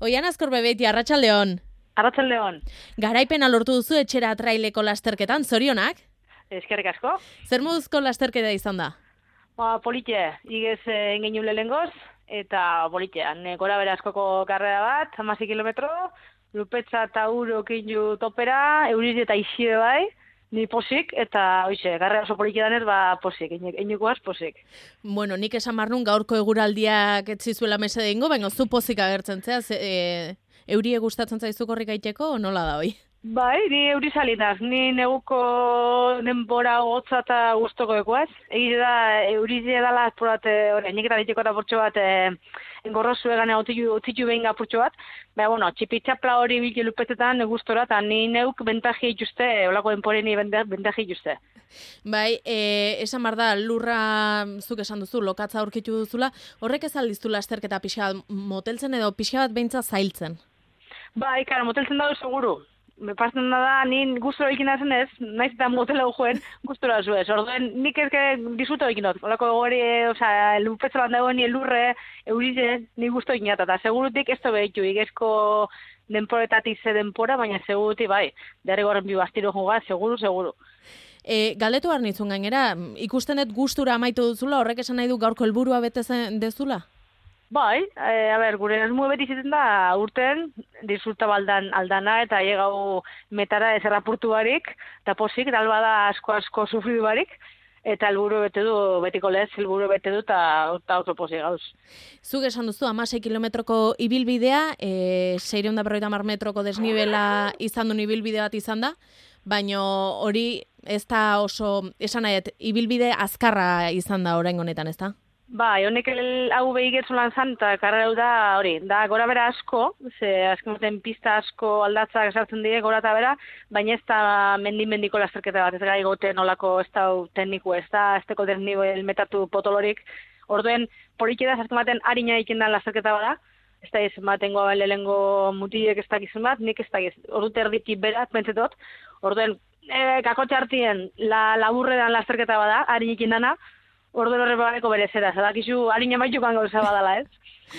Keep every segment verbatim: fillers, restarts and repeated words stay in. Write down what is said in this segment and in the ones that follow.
Oian Azkorbe beti, arratsaldeon. Arratsaldeon. Garaipena lortu duzu etxera traileko lasterketan, zorionak? Eskerrik asko. Zer moduzko lasterketa izan da? Ba, polite, igez engin lehengoz, eta politean. Gora bera askoko karrera bat, hamasei kilometro, lupetza eta uro kinju topera, euriz eta iside bai, ni posik, eta hoize, karrera oso polite danez, ba, posik, einukoaz posik. Bueno, nik esan barnun gaurko eguraldiak etzizuela mesede ingo, baina zu pozik agertzen zea, ze, e, eurie gustatzen zaizu korrik aiteko, nola da hoi? Bai, ni eurizalitas, ni neguko denbora gotza eta guztoko ekoaz. Egite da, eurize dala azpurat, nik eta diteko eta portxo bat, engorrozu egan otzitu behin gapurtxo bat. Baina, bueno, txipitxapla hori bilke lupetetan gustora, eta ni neuk bentaji ituzte, olako denporeni bentaji ituzte. Bai, e, esan bar da, lurra zuk esan duzu, lokatza aurkitu duzula, horrek ez aldiztu lasterketa pixka bat moteltzen edo pixka bat beintza zailtzen? Bai, karo, moteltzen dago seguru. Me pasen da, ni gustora egin da zenez, naiz eta motela joen, gustora zuez. Orduen, nik ezke disfruto egin dut. Olako gori, osea, lupetzolan dagoen, ni elurre, eurize, ni gusto egin eta segurutik ez da behitu, igezko denporetatik ze denpora, baina segurutik, bai, derrigorren bi bastiro juga, seguru, seguru. E, galdetu behar nitzun gainera, ikusten dut gustura amaitu duzula, horrek esan nahi du gaurko helburua betezen dezula? Bai, e, a ber, gure esmu beti izaten da urten, disfruta baldan aldana eta llegau metara ez errapurtu barik, eta posik, eta alba da asko-asko sufridu barik, eta helburu bete du, betiko lez, helburu bete du, eta oso posik gauz. Zuk esan duzu, hamasei kilometroko ibilbidea, e, seiehun eta berrogeita hamar metroko desnibela izan duen ibilbide bat izan da, baina hori ez da oso, esan nahiet, ibilbide azkarra izan da orain honetan, ez da? Bai, honek hau behigetzu lan zan, eta karrera da hori, da gora bera asko, ze azken pista asko aldatzak esartzen dire gora eta bera, baina ez da mendin-mendiko lasterketa bat, ez gai goten olako ez da tekniku, ez da ez teko desnivel metatu potolorik, orduen poliki da, azken baten harina iken da lasterketa bada, ez da ez baten goa lehengo mutilek ez dakizun bat, nik ez dakiz, ordu terditik berat, pentsetot, orduen e, kakotxe hartien la, laburre dan lasterketa bada, harin iken dana, ordu horre bareko berezera, zadakizu harina maitukan gauza badala, ez?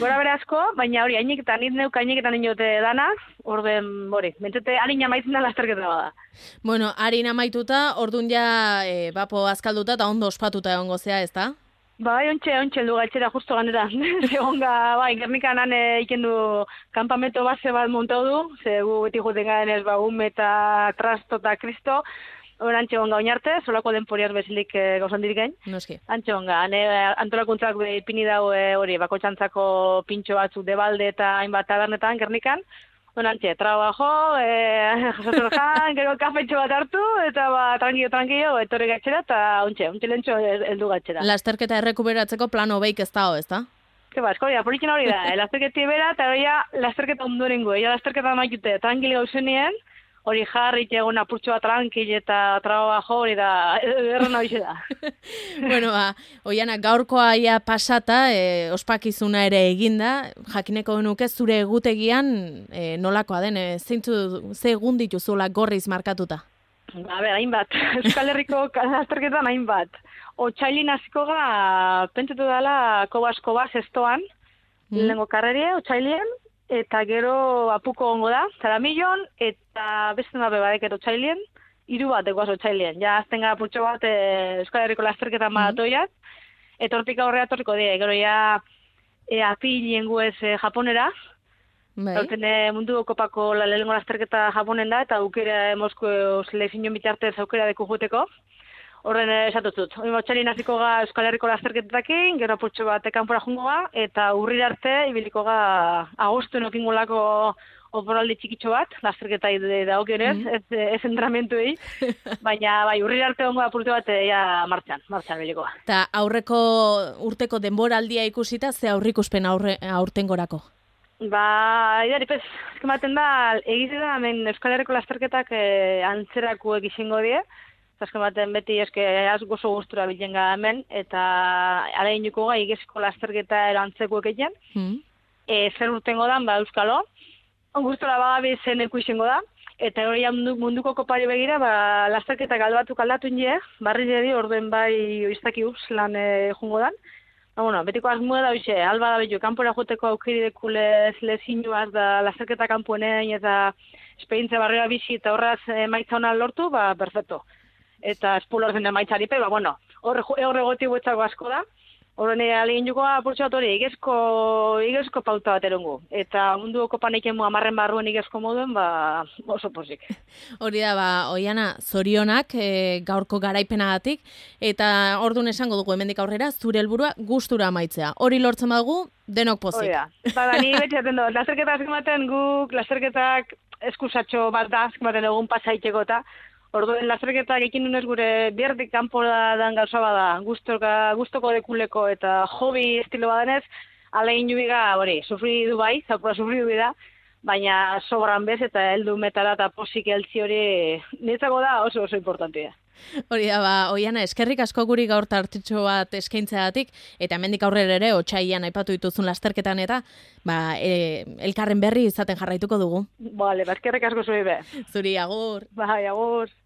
Gora bere asko, baina hori, hainik eta nit neuk hainik eta ninote dana, orden, hori, mentzete harina maitzen da lasterketa bada. Bueno, harina maituta, ordun ja, e, bapo azkalduta eta ondo ospatuta egongo zea, ez da? Bai, ontxe, ontxe, heldu galtxera justo ganera. Segonga, bai, Gernikan han ikendu kampamento base bat montau du, ze gu beti juten garen ez, ba, ume eta trasto eta kristo, Horantxe honga oinarte, solako denporiaz bezilik e, gauzan dirikein. Noski. Antxe honga, antolakuntzak ipini dau hori, bako txantzako pintxo batzuk debalde eta hainbat tabernetan, Gernikan. Horantxe, trabajo, e, jasotor jan, gero kafetxo bat hartu, eta ba, tranquillo, tranquillo, etorri gatxera, eta ontxe, ontxe lentxo heldu gatxera. Lasterketa errekuberatzeko plano beik ez dago, ez da? Ke ba, eskoria, polikin hori da, lasterketi bera, eta hori lasterketa ondorengo, ea lasterketa maikute, tranquilo gauzenien, hori jarri egon apurtxo bat tranquil eta trabajo hori da, erren hori da. Bueno, ba, Oiana, gaurkoa ia pasata, e, ospakizuna ere eginda, jakineko nuke zure egutegian e, nolakoa den, e, zeintzu, ze egun dituzula gorriz markatuta? A ber, hainbat, Euskal Herriko lasterketan hainbat. Otsailin hasiko ga, pentsetu dela koba-koba zestoan, mm. lehenko karrerie, otsailien, eta gero apuko ongo da, Zaramillon, eta beste nabe badek edo txailien, hiru bat egoaz otxailien. Ja, azten gara putxo bat e, Euskal Herriko lasterketan mm. maratoiak, eta hortik aurrea torriko die, gero ja e, apilien guez e, japonera, Horten e, mundu kopako la lehenko lasterketa japonen da, eta aukera Mosko selekzion bitartez aukera deku juteko. Horren esatutut. Hori motxalin hasiko ga Euskal Herriko lasterketakin, gero apurtxo bat ekanpora jungo ga, eta urrir arte ibiliko ga agostu nokingolako oporaldi txikitxo bat, lasterketa da okionez, mm. ez, ez entramentuei, baina bai, urrir arte ongo apurtu bat ja martxan, martxan biliko ga. Eta aurreko urteko denboraldia ikusita, ze aurrikuspen aurre, aurten gorako? Ba, idari, pez, eskematen da, egize da, hemen Euskal Herriko lasterketak eh, antzerako egizingo die, Azken baten beti eske gozo gustura bilen ga hemen, eta alainuko ga igezko lasterketa erantzeko egiten. Mm. E, zer urtengo da, ba, Euskalo, gustura bagabe zen ikuizengo da, eta hori munduko kopari begira, ba, lasterketak aldatu aldatu nire, barri dedi, orden bai oiztaki uz lan e, jungo dan, Ba, bueno, betiko asmoa da hoxe, alba da bitu, kanpora joteko aukeri dekulez lezinuaz da lasterketa kanponean eta esperientzia barrera bizi eta horraz emaitza hona lortu, ba, perfecto. Eta espulor zen emaitzari pe, ba, bueno, horre horre goti guetzako asko da. Horren alegin jukoa apurtxat hori, igezko, igezko pauta bat erongu. Eta mundu kopan eiken amarren barruen igezko moduen, ba, oso pozik. Hori da, ba, Oiana, zorionak e, gaurko garaipenagatik, eta ordun esango dugu hemendik aurrera, zure helburua gustura amaitzea. Hori lortzen badugu, denok pozik. Hori da. Ba, da, ni beti zaten dut, lasterketa azkematen guk, lasterketak eskusatxo bat da, azkematen egun pasaiteko eta, orduen lasterketak ekin nunez gure bierdik kanpo dan gauza bada, guztoka, guztoko dekuleko eta hobi estilo badenez, alegin jubiga, hori, sufri du bai, zaupura sufri du da, baina sobran bez eta heldu metara eta posik eltzi hori niretzako da oso oso importantea. Hori da, ba, Oiana, eskerrik asko guri gaur tartitxo bat eskaintzeagatik, eta hemendik aurrera ere, otsailean aipatu dituzun lasterketan eta, ba, e, elkarren berri izaten jarraituko dugu. Bale, ba, eskerrik asko zuri be. Zuri, agur. Bai, agur.